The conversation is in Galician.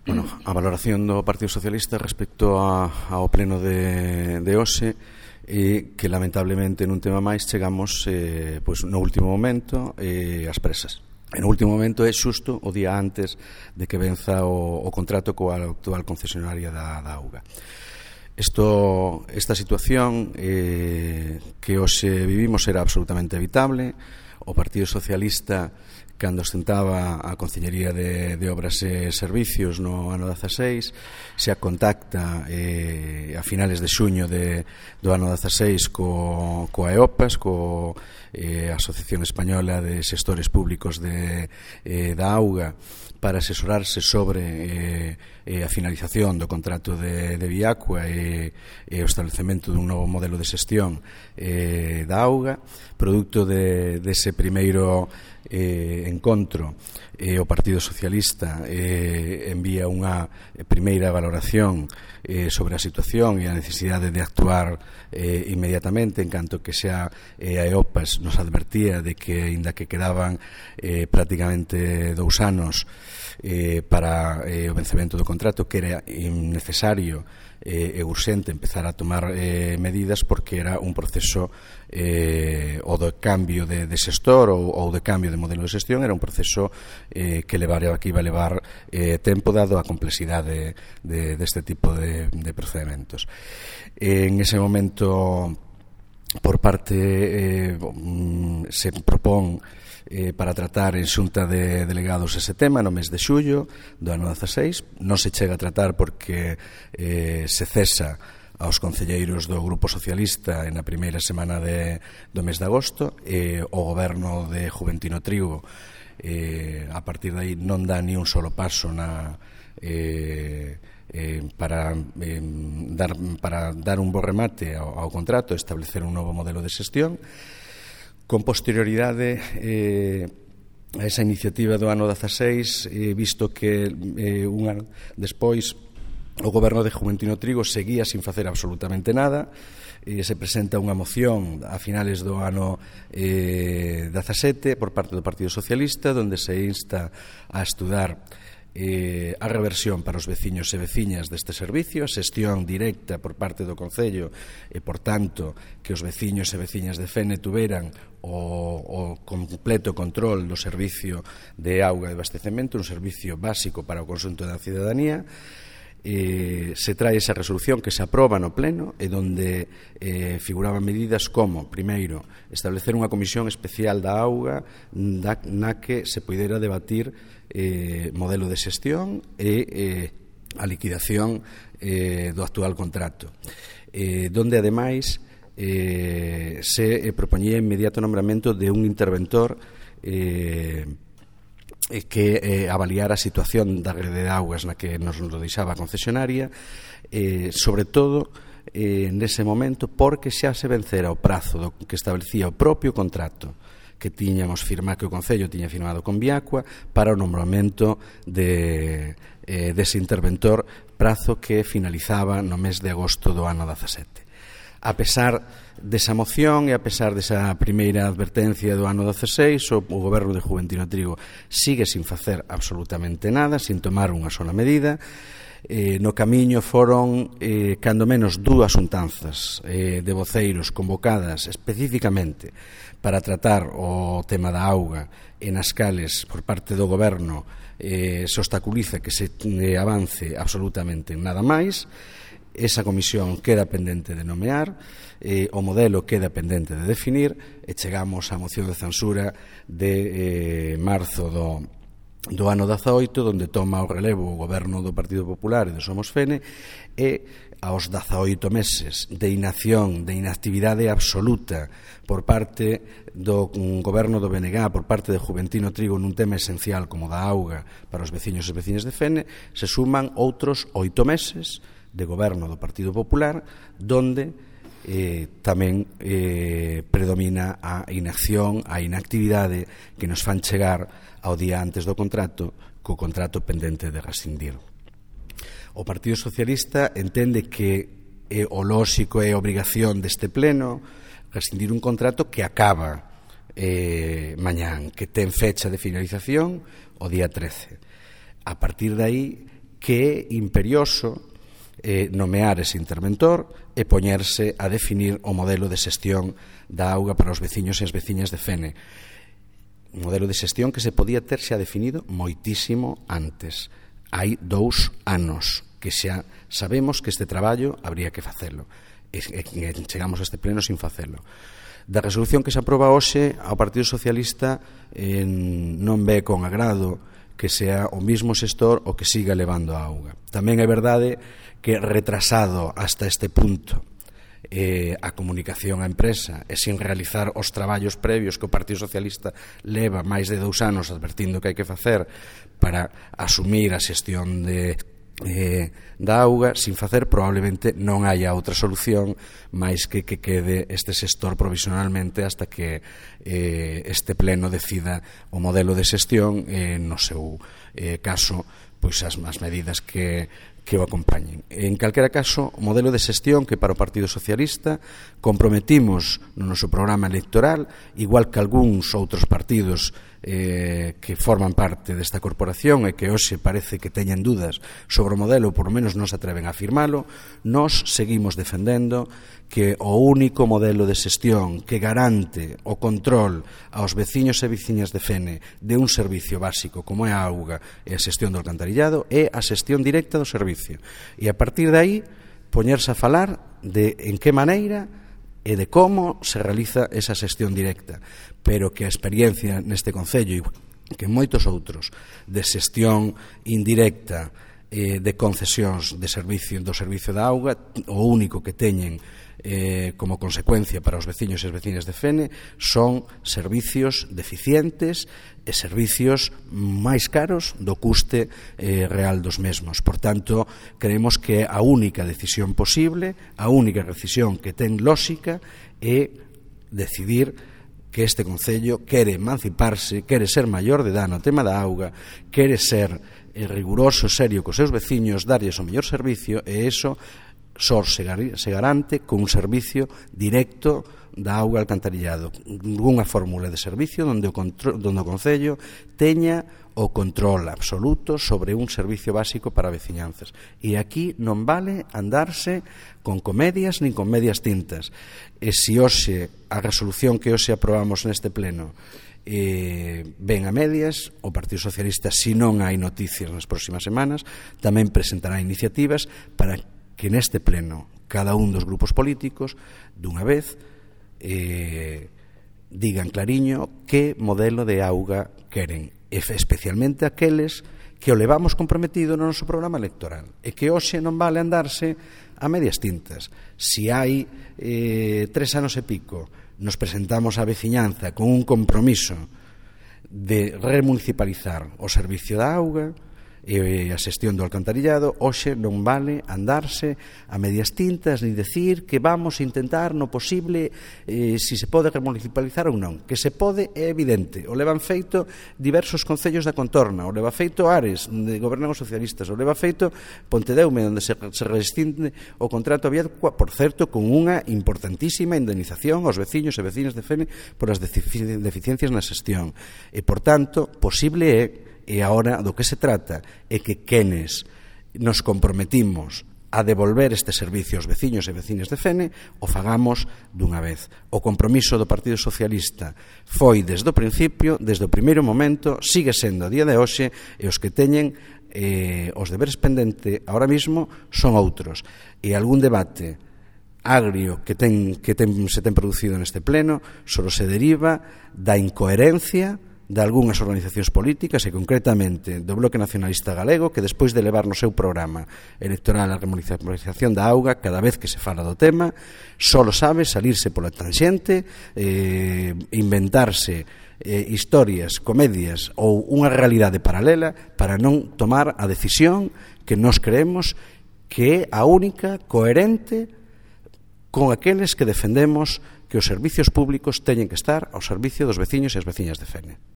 Bueno, a valoración do Partido Socialista respecto ao pleno de hoxe e que lamentablemente nun tema máis chegamos pois no último momento ás presas. E no último momento é xusto o día antes de que venza o contrato coa actual concesionaria da auga. Esta situación que hoxe vivimos era absolutamente evitable. O Partido Socialista, cando ostentaba a Consellería de Obras e Servicios no ano 16, se contacta a finales de xuño do ano 16 coa EOPAS, coa Asociación Española de Xestores Públicos da Auga, para asesorarse sobre a finalización do contrato de Viacua e o establecemento dun novo modelo de xestión da auga. Producto dese primeiro encontro, o Partido Socialista envía unha primeira valoración sobre a situación e a necesidade de actuar inmediatamente, en canto que xa a EOPAS nos advertía de que, aínda que quedaban prácticamente 2 anos para o vencemento do contrato, que era innecesario e urxente empezar a tomar medidas, porque era un proceso o de cambio de xestor ou de cambio de modelo de xestión, era un proceso que iba a levar tempo, dado a complexidade deste tipo de procedimentos. En ese momento, por parte se propón para tratar en xunta de delegados ese tema no mes de xullo do ano 16. Non se chega a tratar porque se cesa aos concelleiros do Grupo Socialista na primeira semana do mes de agosto, e o goberno de Juventino Trigo a partir de aí non dá ni un solo paso para dar un bo remate ao contrato, establecer un novo modelo de xestión. Con posterioridade a esa iniciativa do ano 16, visto que un ano despois o goberno de Juventino Trigo seguía sin facer absolutamente nada, se presenta unha moción a finales do ano 17 por parte do Partido Socialista, onde se insta a estudar a reversión para os veciños e veciñas deste servicio, a xestión directa por parte do Concello e, por tanto, que os veciños e veciñas de Fene tuveran o completo control do servicio de auga e abastecemento, un servicio básico para o conxunto da cidadanía. Se trae esa resolución que se aproba no pleno e onde figuraban medidas como, primeiro, establecer unha comisión especial da auga na que se poidera debatir modelo de xestión e a liquidación do actual contrato, donde ademais se propoñía inmediato nombramento de un interventor que avaliara a situación da rede de augas na que nos lo deixaba a concesionaria, sobre todo nese momento, porque xa se vencera o prazo que establecía o propio contrato que tiñamos firmado, que o Concello tiña firmado con Viacua, para o nombramento dese interventor, prazo que finalizaba no mes de agosto do ano 17. A pesar desa moción e a pesar desa primeira advertencia do ano 16, o goberno de Juventino Trigo sigue sin facer absolutamente nada, sin tomar unha sola medida. No camiño foron cando menos 2 xuntanzas de voceiros convocadas especificamente para tratar o tema da auga, e nas cales por parte do goberno se obstaculiza que se avance absolutamente nada máis. Esa comisión queda pendente de nomear, o modelo queda pendente de definir, e chegamos á moción de censura de marzo do ano 18, onde toma o relevo o goberno do Partido Popular e do Somos Fene, e aos 18 meses de inacción, de inactividade absoluta por parte do goberno do BNG, por parte de Juventino Trigo, nun tema esencial como da auga para os veciños e veciñas de Fene, se suman outros 8 meses de goberno do Partido Popular, donde tamén predomina a inacción, a inactividade que nos fan chegar ao día antes do contrato, co contrato pendente de rescindir. O Partido Socialista entende que é o lóxico e a obrigación deste pleno rescindir un contrato que acaba mañán, que ten fecha de finalización o día 13. A partir de aí, que é imperioso nomear ese interventor e poñerse a definir o modelo de xestión da auga para os veciños e as veciñas de Fene. Un modelo de xestión que se podía ter xa definido moitísimo antes. Hai 2 anos que xa sabemos que este traballo habría que facelo. E chegamos a este pleno sin facelo. Da resolución que se aproba hoxe, ao Partido Socialista non ve con agrado que sea o mismo xestor o que siga levando a auga. Tamén é verdade que retrasado hasta este punto a comunicación á empresa e sin realizar os traballos previos que o Partido Socialista leva máis de 2 anos advertindo que hai que facer para asumir a xestión da auga, sin facer, probablemente non haya outra solución máis que quede este xestor provisionalmente hasta que este pleno decida o modelo de xestión no seu caso, pois as medidas que o acompañen. En calquera caso, o modelo de xestión que para o Partido Socialista comprometimos no noso programa electoral, igual que algúns outros partidos que forman parte desta corporación e que hoxe parece que teñen dudas sobre o modelo, por lo menos non se atreven a afirmalo, nós seguimos defendendo que o único modelo de xestión que garante o control aos veciños e veciñas de Fene de un servicio básico como é a auga e a xestión do alcantarillado é a xestión directa do servicio. E a partir de aí poñerse a falar de en que maneira e de como se realiza esa xestión directa, pero que a experiencia neste concello e que moitos outros de xestión indirecta de concesións de servicio do servicio da auga, o único que teñen como consecuencia para os veciños e as veciñas de Fene son servicios deficientes e servicios máis caros do custe real dos mesmos. Por tanto, creemos que a única decisión posible, a única decisión que ten lógica é decidir que este concello quere emanciparse, quere ser maior de edad no tema da auga, quere ser riguroso, serio cos seus veciños, darlles o mellor servicio, e iso só se garante con un servicio directo da auga alcantarillado, unha fórmula de servicio onde o concello teña o control absoluto sobre un servicio básico para veciñanzas. E aquí non vale andarse con comedias nin con medias tintas. E se hoxe a resolución que hoxe aprobamos neste pleno ven a medias, o Partido Socialista, se non hai noticias nas próximas semanas, tamén presentará iniciativas para que neste pleno cada un dos grupos políticos dunha vez digan clariño que modelo de auga queren, especialmente aqueles que o levamos comprometido no noso programa electoral e que hoxe non vale andarse a medias tintas. Se hai 3 anos e pico nos presentamos á veciñanza con un compromiso de remunicipalizar o servicio da auga e a xestión do alcantarillado, hoxe non vale andarse a medias tintas ni decir que vamos a intentar no posible se se pode remunicipalizar ou non. Que se pode é evidente, o levan feito diversos concellos da contorna, o leva feito Ares, onde gobernan os socialistas, o leva feito Pontedeume, onde se rescinde o contrato abierto, por certo, con unha importantísima indemnización aos veciños e veciñas de Fene por as deficiencias na xestión. E, por tanto, posible é. E agora do que se trata é que quenes nos comprometimos a devolver este servicio aos veciños e veciñas de Fene o fagamos dunha vez. O compromiso do Partido Socialista foi desde o principio, desde o primeiro momento, sigue sendo a día de hoxe, e os que teñen os deberes pendente ahora mismo son outros. E algún debate agrio que se ten producido neste pleno só se deriva da incoherencia de algunhas organizacións políticas e concretamente do Bloque Nacionalista Galego, que despois de levar no seu programa electoral a remunicipalización da auga, cada vez que se fala do tema só sabe salirse pola tangente, inventarse historias, comedias ou unha realidade paralela para non tomar a decisión que nós creemos que é a única coherente con aqueles que defendemos que os servicios públicos teñen que estar ao servicio dos veciños e as veciñas de Fene.